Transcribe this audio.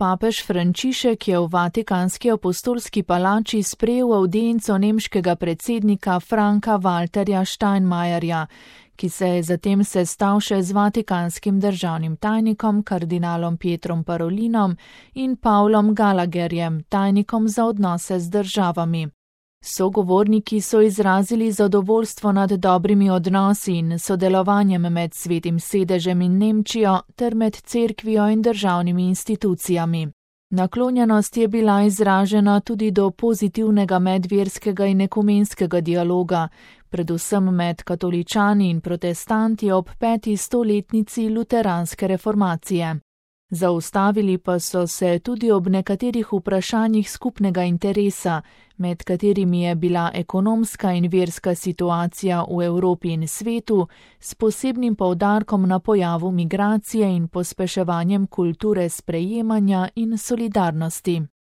Papež Frančišek je v Vatikanski apostolski palači sprejel avdienco nemškega predsednika Franka Walterja Steinmeierja, ki se je zatem sestal še z vatikanskim državnim tajnikom kardinalom Pietrom Parolinom in Pavlom Gallagherjem, tajnikom za odnose z državami. Sogovorniki so izrazili zadovoljstvo nad dobrimi odnosi in sodelovanjem med Svetim sedežem in Nemčijo ter med cerkvijo in državnimi institucijami. Naklonjenost je bila izražena tudi do pozitivnega medverskega in ekumenskega dialoga, predvsem med katoličani in protestanti ob 5. stoletnici luteranske reformacije. Zaustavili pa so se tudi ob nekaterih vprašanjih skupnega interesa, med katerimi je bila ekonomska in verska situacija v Evropi in svetu, s posebnim poudarkom na pojavu migracije in pospeševanjem kulture sprejemanja in solidarnosti.